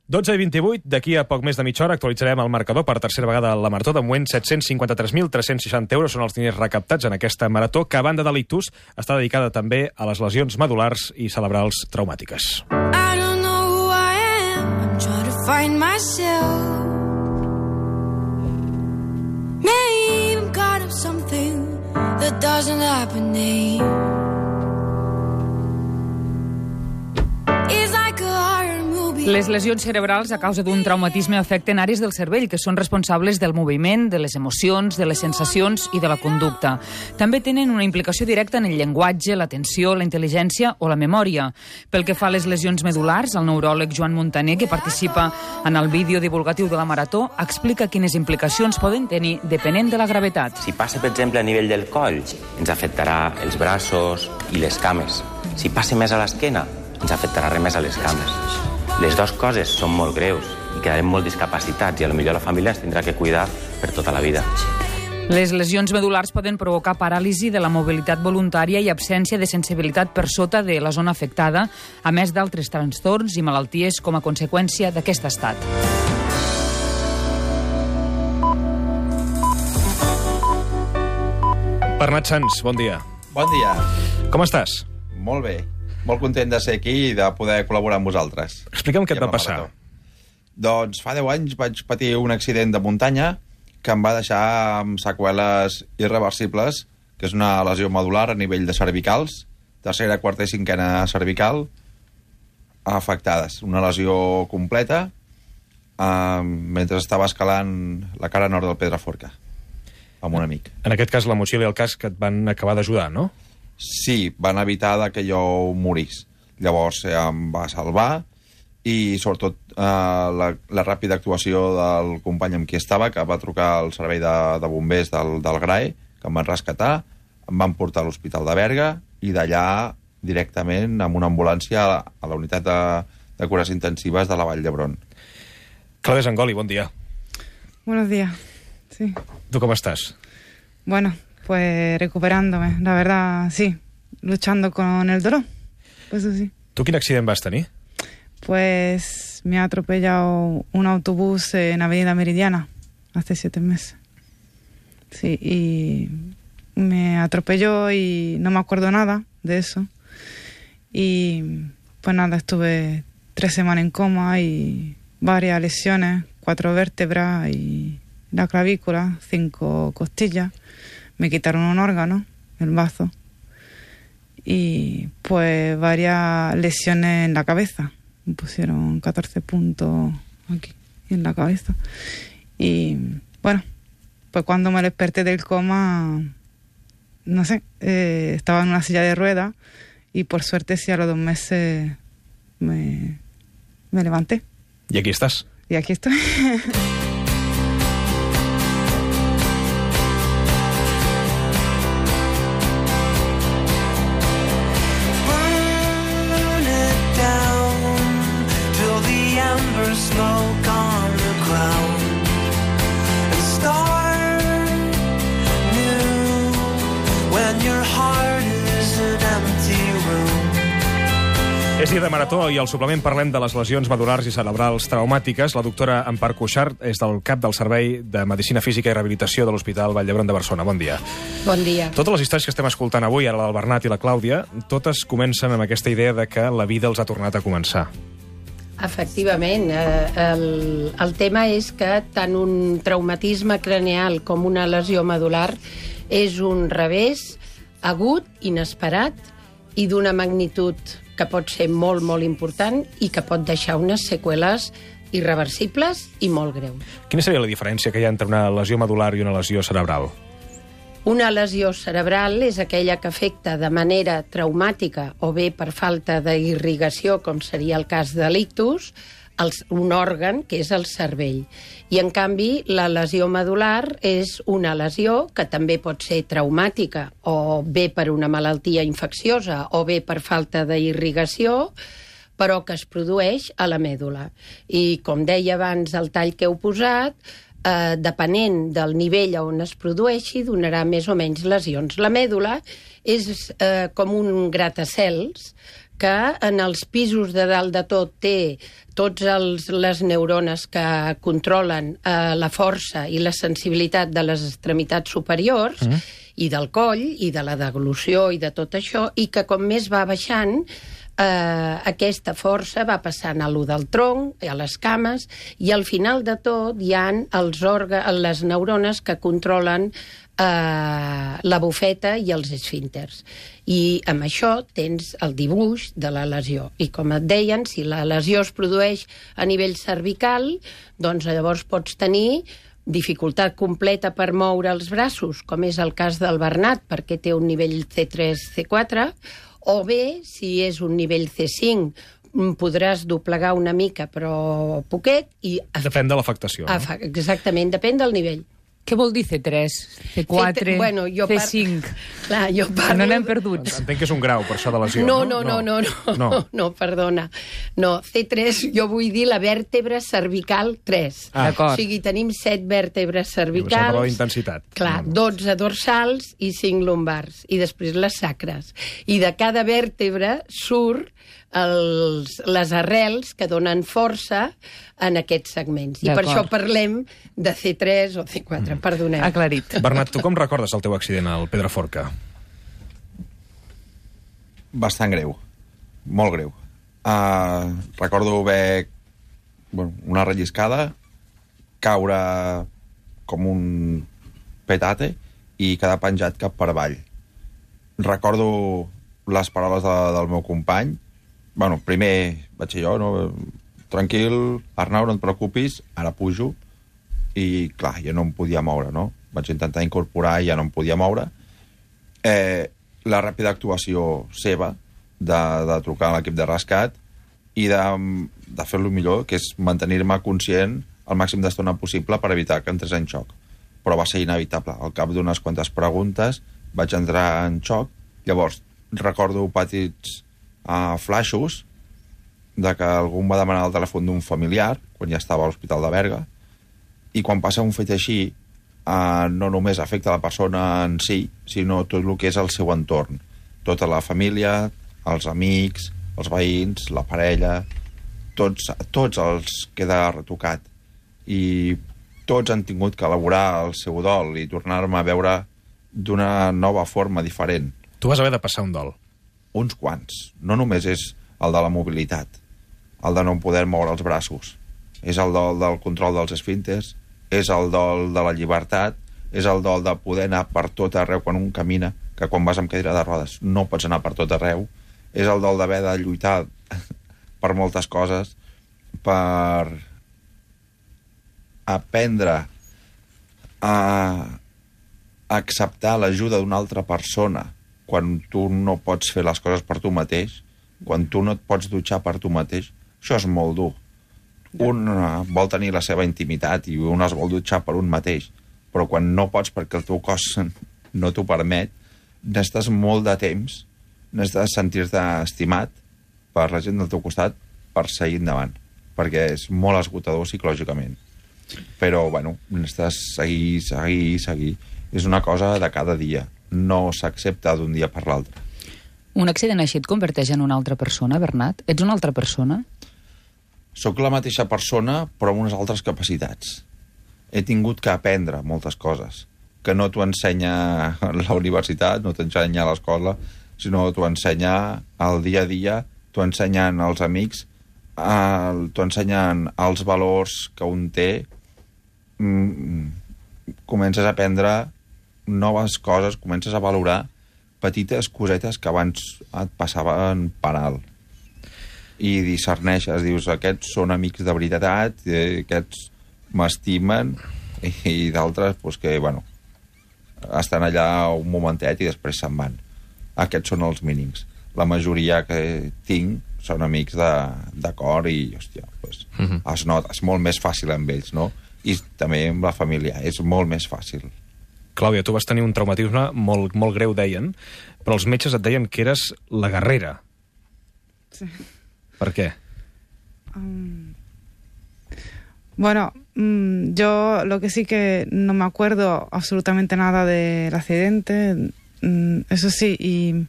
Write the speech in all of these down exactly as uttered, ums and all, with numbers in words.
dotze i vint-i-vuit, d'aquí a poc més de mitja hora actualitzarem el marcador per tercera vegada a la Marató. De moment, set-cents cinquanta-tres mil tres-cents seixanta euros són els diners recaptats en aquesta marató, que a banda de l'ictus està dedicada també a les lesions medulars i cerebrals traumàtiques. I don't know who I am, I'm trying to find myself. Maybe I'm caught up something that doesn't happen to you. Les lesions cerebrals a causa d'un traumatisme afecten àrees del cervell que són responsables del moviment, de les emocions, de les sensacions i de la conducta. També tenen una implicació directa en el llenguatge, l'atenció, la intel·ligència o la memòria. Pel que fa a les lesions medulars, el neuròleg Joan Montaner, que participa en el vídeo divulgatiu de la Marató, explica quines implicacions poden tenir depenent de la gravetat. Si passa, per exemple, a nivell del coll, ens afectarà els braços i les cames. Si passa més a l'esquena, ens afectarà res més a les cames. Les dues coses són molt greus i quedarem molt discapacitats i potser la família ens tindrà que cuidar per tota la vida. Les lesions medulars poden provocar paràlisi de la mobilitat voluntària i absència de sensibilitat per sota de la zona afectada, a més d'altres trastorns i malalties com a conseqüència d'aquest estat. Bernat Sans, bon dia. Bon dia. Com estàs? Molt bé. Molt content de ser aquí i de poder col·laborar amb vosaltres. Explica'm què et va passar. Doncs fa deu anys vaig patir un accident de muntanya que em va deixar amb seqüeles irreversibles, que és una lesió medular a nivell de cervicals, tercera, quarta i cinquena cervical, afectades. Una lesió completa eh, mentre estava escalant la cara nord del Pedraforca amb un amic. En aquest cas, la motxilla i el casc et van acabar d'ajudar, no? Sí, van evitar que jo morís. Llavors eh, em va salvar i sobretot eh, la, la ràpida actuació del company amb qui estava, que va trucar al servei de, de bombers del, del G R A E, que em van rescatar, em van portar a l'Hospital de Berga i d'allà directament amb una ambulància a la, a la unitat de, de cures intensives de la Vall d'Hebron. Clàudia Zangoli, bon dia. Buenos días, sí. Tu com estàs? Bueno, pues recuperándome, la verdad, sí, luchando con el dolor, pues eso sí. Tu quin accident vas tenir? Pues me ha atropellado un autobús en Avenida Meridiana hace siete meses. Sí, y me atropelló y no me acuerdo nada de eso. Y pues nada, estuve tres semanas en coma y varias lesiones, cuatro vértebras y la clavícula, cinco costillas. Me quitaron un órgano, el bazo, y pues varias lesiones en la cabeza. Me pusieron catorce puntos aquí, en la cabeza. Y bueno, pues cuando me desperté del coma, no sé, eh, estaba en una silla de ruedas y por suerte sí a los dos meses me, me levanté. ¿Y aquí estás? Y aquí estoy. És dia de Marató i al suplement parlem de les lesions medulars i cerebrals traumàtiques. La doctora Empar Cuixart és del cap del Servei de Medicina Física i Rehabilitació de l'Hospital Vall d'Hebron de Barcelona. Bon dia. Bon dia. Totes les històries que estem escoltant avui, ara la del Bernat i la Clàudia, totes comencen amb aquesta idea de que la vida els ha tornat a començar. Efectivament. El, el tema és que tant un traumatisme craneal com una lesió medular és un revés agut, inesperat i d'una magnitud que pot ser molt, molt important i que pot deixar unes seqüeles irreversibles i molt greus. Quina seria la diferència que hi ha entre una lesió medular i una lesió cerebral? Una lesió cerebral és aquella que afecta de manera traumàtica o bé per falta d'irrigació, com seria el cas de l'ictus, un òrgan que és el cervell. I, en canvi, la lesió medular és una lesió que també pot ser traumàtica o bé per una malaltia infecciosa o bé per falta d'irrigació, però que es produeix a la mèdula. I, com deia abans, el tall que heu posat, eh, depenent del nivell on es produeixi, donarà més o menys lesions. La mèdula és eh, com un gratacels que en els pisos de dalt de tot té tots els, les neurones que controlen eh, la força i la sensibilitat de les extremitats superiors, mm. i del coll, i de la deglució, i de tot això, i que com més va baixant, eh, aquesta força va passant a lo del tronc, a les cames, i al final de tot hi ha els òrgans, les neurones que controlen eh, la bufeta i els esfínters. I amb això tens el dibuix de la lesió. I com et deien, si la lesió es produeix a nivell cervical, doncs llavors pots tenir dificultat completa per moure els braços, com és el cas del Bernat, perquè té un nivell C tres C quatre, o bé, si és un nivell C cinc, podràs doblegar una mica, però poquet. I depèn de l'afectació. No? Exactament, depèn del nivell. Què vol dir C tres, C quatre, bueno, C cinc? Par... Clar, jo parlo... No n'hem perdut. Entenc que és un grau, per això de lesió. No, no, no, no, no, no, no, no perdona. No, C tres, jo vull dir la vèrtebra cervical tres. Ah. D'acord. O sigui, tenim set vèrtebres cervicals. Això parla d'intensitat. Clar, dotze dorsals i cinc lumbars. I després les sacres. I de cada vèrtebra surt els, les arrels que donen força en aquests segments. I per això parlem de C tres o C quatre, mm. perdoneu. Aclarit. Bernat, tu com recordes el teu accident al Pedraforca? Bastant greu. Molt greu. Uh, recordo haver bueno, una relliscada, caure com un petate i quedar penjat cap per avall. Recordo les paraules de, del meu company. Bueno, primer vaig ser jo, no? Tranquil, Arnau, no et preocupis, ara pujo. I, clar, jo no em podia moure, no? Vaig intentar incorporar i ja no em podia moure. Eh, la ràpida actuació seva de, de trucar a l'equip de rescat i de, de fer-lo millor, que és mantenir-me conscient el màxim d'estona possible per evitar que entrés en xoc. Però va ser inevitable. Al cap d'unes quantes preguntes vaig entrar en xoc. Llavors, recordo petits uh, flashos de que algú em va demanar el telèfon d'un familiar, quan ja estava a l'Hospital de Berga, i quan passa un fet així, uh, no només afecta la persona en si, sinó tot el que és el seu entorn. Tota la família, els amics, els veïns, la parella, tots, tots els queda retocat. I tots han tingut que elaborar el seu dol i tornar-me a veure d'una nova forma diferent. Tu vas haver de passar un dol. Uns quants. No només és el de la mobilitat, el de no poder moure els braços. És el dol del control dels esfínters, és el dol de la llibertat, és el dol de poder anar per tot arreu quan un camina, que quan vas amb cadira de rodes no pots anar per tot arreu. És el dol d'haver de lluitar per moltes coses, per aprendre a acceptar l'ajuda d'una altra persona quan tu no pots fer les coses per tu mateix, quan tu no et pots dutxar per tu mateix. Això és molt dur. Un vol tenir la seva intimitat i un es vol dutxar per un mateix, però quan no pots perquè el teu cos no t'ho permet, necessites molt de temps, necessites sentir-te estimat per la gent del teu costat per seguir endavant, perquè és molt esgotador psicològicament. Però, bueno, necessites seguir, seguir, seguir. És una cosa de cada dia. No s'accepta d'un dia per l'altre. Un accident així et converteix en una altra persona, Bernat? Ets una altra persona? Soc la mateixa persona, però amb unes altres capacitats. He tingut que aprendre moltes coses, que no t'ho ensenya la universitat, no t'ensenya a l'escola, sinó t'ho ensenya al dia a dia, t'ho ensenyen els amics, eh, t'ho ensenyen els valors que un té. Mm, comences a aprendre noves coses, comences a valorar petites cosetes que abans et passaven per alt. I discerneixes, dius, aquests són amics de veritat, aquests m'estimen, i, i d'altres, doncs que, bueno, estan allà un momentet i després se'n van. Aquests són els mínims. La majoria que tinc són amics de, de cor i, hòstia, doncs, uh-huh. es nota, és molt més fàcil amb ells, no? I també amb la família, és molt més fàcil. Clàudia, tu vas tenir un traumatisme molt, molt greu, deien, però els metges et deien que eres la guerrera. Sí. ¿Per qué? Um, bueno, um, yo lo que sí que no me acuerdo absolutamente nada del accidente, um, eso sí, y,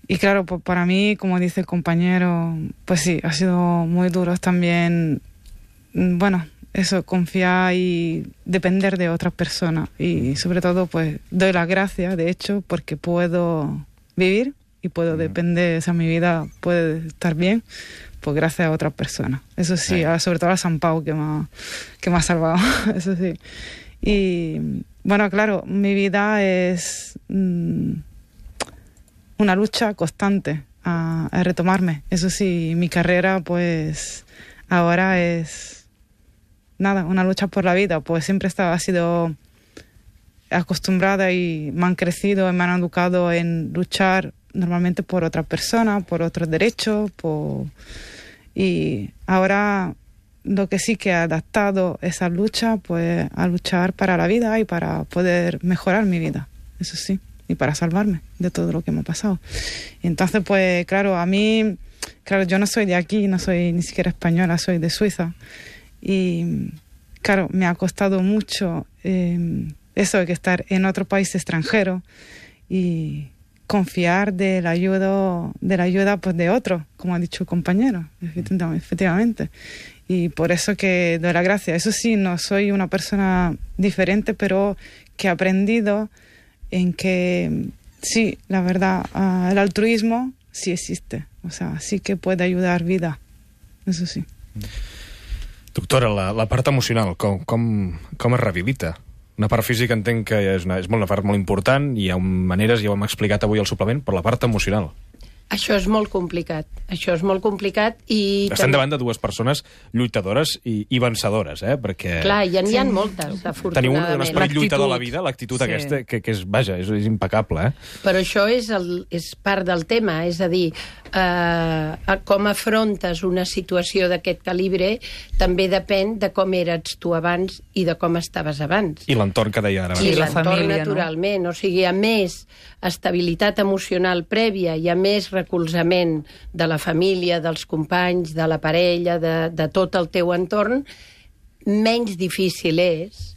y claro, pues para mí, como dice el compañero, pues sí, ha sido muy duro también, bueno, eso, confiar y depender de otras personas. Y sobre todo, pues, doy las gracias, de hecho, porque puedo vivir y puedo mm. depender, o sea, mi vida puede estar bien, pues gracias a otras personas. Eso sí, a, sobre todo a San Pau, que me ha, que me ha salvado, eso sí. Y, bueno, claro, mi vida es mmm, una lucha constante a, a retomarme. Eso sí, mi carrera, pues, ahora es... Nada, una lucha por la vida, pues siempre estaba, ha sido acostumbrada y me han crecido y me han educado en luchar normalmente por otra persona, por otros derechos, por... y ahora lo que sí que ha adaptado esa lucha, pues a luchar para la vida y para poder mejorar mi vida, eso sí, y para salvarme de todo lo que me ha pasado. Y entonces, pues claro, a mí, claro, yo no soy de aquí, no soy ni siquiera española, soy de Suiza. Y claro, me ha costado mucho eh, eso de que estar en otro país extranjero y confiar de la ayuda, de la ayuda pues, de otro, como ha dicho el compañero, efectivamente. Y por eso que doy la gracia. Eso sí, no soy una persona diferente, pero que he aprendido en que sí, la verdad, uh, el altruismo sí existe. O sea, sí que puede ayudar vida. Eso sí. Doctora, la, la part emocional, com, com, com es rehabilita? Una part física entenc que és una, és molt, una part molt important, i hi ha maneres, ja ho hem explicat avui al suplement, però la part emocional. Això és molt complicat. Això és molt complicat i... Estem davant de dues persones lluitadores i, i vencedores, eh? Perquè... Clar, ja n'hi ha sí. moltes, afortunadament. Teniu un, un esperit lluitador de la vida, l'actitud sí. aquesta, que, que és, vaja, és, és impecable, eh? Però això és, el, és part del tema, és a dir, eh, com afrontes una situació d'aquest calibre també depèn de com eres tu abans i de com estaves abans. I l'entorn que deia ara. I l'entorn, naturalment. No? O sigui, a més estabilitat emocional prèvia, hi ha més recolzament de la família, dels companys, de la parella, de, de tot el teu entorn, menys difícil és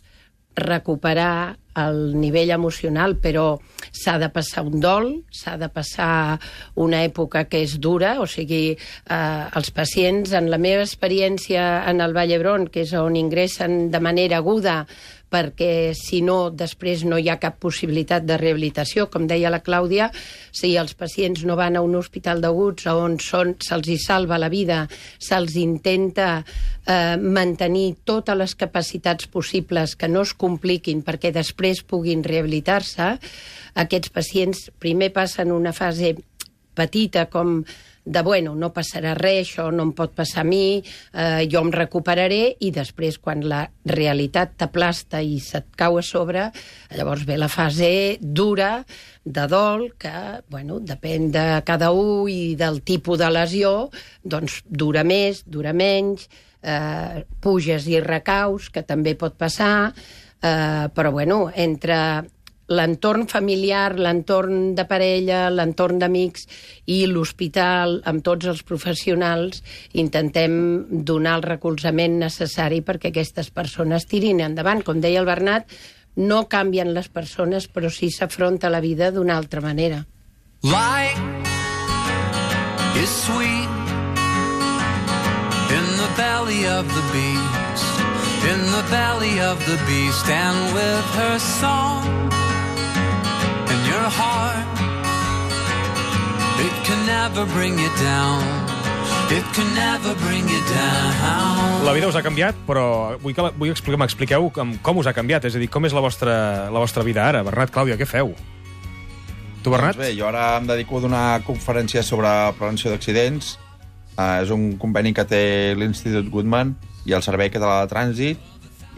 recuperar el nivell emocional, però s'ha de passar un dol, s'ha de passar una època que és dura, o sigui, eh, els pacients, en la meva experiència en el Vall d'Hebron, que és on ingressen de manera aguda, perquè si no, després no hi ha cap possibilitat de rehabilitació. Com deia la Clàudia, si els pacients no van a un hospital d'aguts on se'ls hi salva la vida, se'ls intenta eh, mantenir totes les capacitats possibles que no es compliquin perquè després puguin rehabilitar-se, aquests pacients primer passen una fase petita com de, bueno, no passarà res, això no em pot passar a mi, eh, jo em recuperaré, i després, quan la realitat t'aplasta i se't cau a sobre, llavors ve la fase dura de dol, que, bueno, depèn de cada un i del tipus de lesió, doncs dura més, dura menys, eh, puges i recaus, que també pot passar, eh, però, bueno, entre l'entorn familiar, l'entorn de parella, l'entorn d'amics i l'hospital, amb tots els professionals, intentem donar el recolzament necessari perquè aquestes persones tirin endavant. Com deia el Bernat, no canvien les persones, però sí s'afronta la vida d'una altra manera. Light is sweet in the belly of the beast, in the belly of the beast, and with her song your heart, it can never bring you down, it can never bring you down. La vida us ha canviat, però vull que vull explicar, m'expliqueu com, com us ha canviat, és a dir, com és la vostra, la vostra vida ara. Bernat, Clàudia, què feu? Tu, Bernat? Doncs bé, jo ara em dedico a donar conferències sobre prevenció d'accidents. Uh, és un conveni que té l'Institut Goodman i el Servei Català de Trànsit,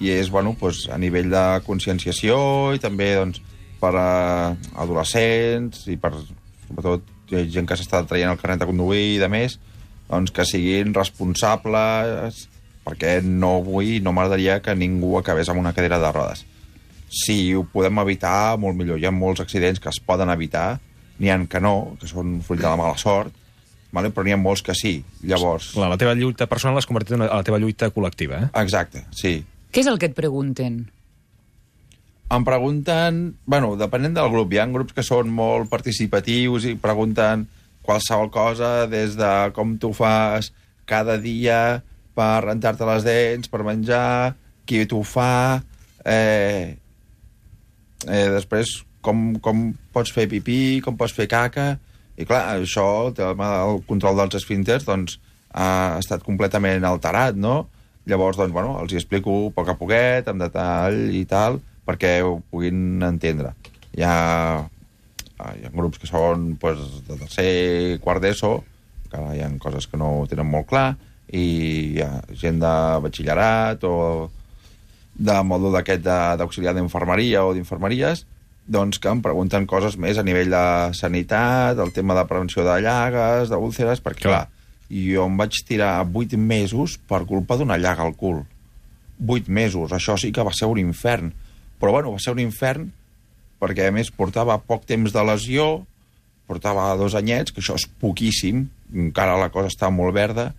i és, bueno, doncs, a nivell de conscienciació i també, doncs, per a adolescents i per, sobretot, gent que s'està traient el carnet de conduir i de més, doncs que siguin responsables, perquè no vull, no m'agradaria que ningú acabés amb una cadira de rodes. Si ho podem evitar, molt millor. Hi ha molts accidents que es poden evitar, n'hi ha que no, que són fruit de la mala sort, vale? Però n'hi ha molts que sí. Llavors... Clar, la teva lluita personal l'has convertit en la teva lluita col·lectiva, eh? Exacte, sí. Què és el que et pregunten? Em pregunten... Bueno, depenent del grup. Hi ha grups que són molt participatius i pregunten qualsevol cosa, des de com tu fas cada dia per rentar-te les dents, per menjar, qui t'ho fa, eh, eh, després com, com pots fer pipí, com pots fer caca, i clar, això, el tema del control dels esfínters, doncs, ha estat completament alterat, no? Llavors, doncs, bueno, els hi explico a poc a poquet, amb detall i tal, perquè ho puguin entendre. Hi ha, hi ha grups que són pues, de tercer, quart d'ESO, que hi ha coses que no ho tenen molt clar, i hi ha gent de batxillerat o de mòdul d'aquest d'auxiliar d'infermeria o d'infermeries, doncs que em pregunten coses més a nivell de sanitat, el tema de prevenció de llagues, d'úlceres, perquè, clar, jo em vaig tirar vuit mesos per culpa d'una llaga al cul. Vuit mesos, això sí que va ser un infern. Però, bueno, va ser un infern perquè, a més, portava poc temps de lesió, portava dos anyets, que això és poquíssim, encara la cosa està molt verda,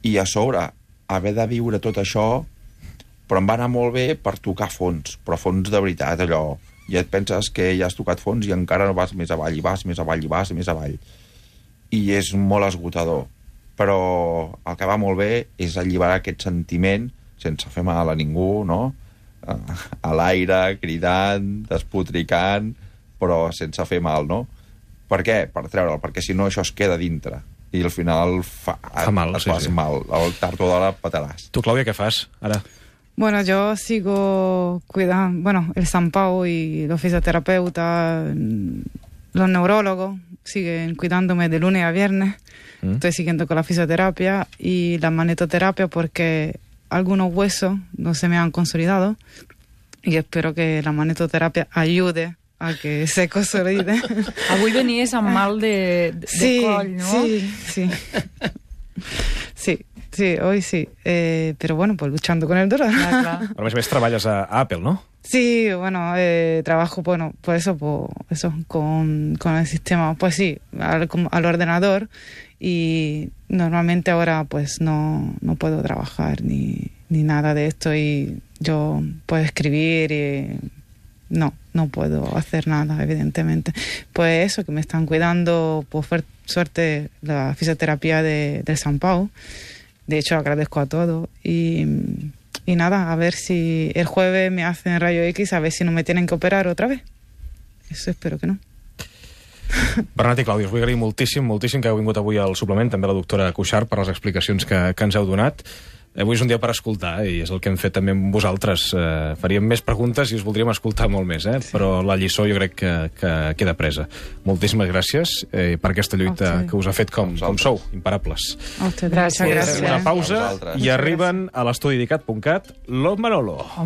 i a sobre, haver de viure tot això, però em va anar molt bé per tocar fons, però fons de veritat, allò. I et penses que ja has tocat fons i encara no vas més avall, i vas més avall, i vas més avall. I és molt esgotador. Però el que va molt bé és alliberar aquest sentiment sense fer mal a ningú, no? A l'aire, cridant, despotricant, però sense fer mal, no? Per què? Per treure'l, perquè si no això es queda dintre. I al final fa, fa mal, et sí, fas sí. mal. Al tard o d'hora pataràs. Tu, Clàudia, què fas ara? Bueno, yo sigo cuidando, bueno, el San Pau y los fisioterapeutas, los neurólogos siguen cuidándome de lunes a viernes. ¿Mm? Estoy siguiendo con la fisioterapia y la magnetoterapia porque algunos huesos no se me han consolidado y espero que la magnetoterapia ayude a que se consolide. Avui venies amb mal de, de sí, coll, ¿no? Sí, sí. Sí. Sí, hoy sí. Eh, pero bueno, pues luchando con el dolor. Ah, clar. Però a més a més treballes a Apple, no? Sí, bueno, eh, trabajo, bueno, por eso, por eso, con, con el sistema, pues sí, al, al ordenador y normalmente ahora pues no, no puedo trabajar ni, ni nada de esto y yo puedo escribir y no, no puedo hacer nada, evidentemente. Pues eso, que me están cuidando, por suerte, la fisioterapia de, del San Pau. De hecho, agradezco a todos y, y nada, a ver si el jueves me hacen rayo X, a ver si no me tienen que operar otra vez. Eso espero que no. Bernat i Clàudia, us vull agrair moltíssim, moltíssim que heu vingut avui al suplement, també la doctora Cuixart, per les explicacions que, que ens heu donat. Avui és un dia per escoltar, eh, i és el que hem fet també amb vosaltres. Eh, faríem més preguntes i us voldríem escoltar molt més, eh? Sí. Però la lliçó jo crec que, que queda presa. Moltíssimes gràcies eh, per aquesta lluita okay. que us ha fet com, com sou, imparables. Gràcies. Una pausa i arriben a l'estudi dicat punt cat l'Om Manolo.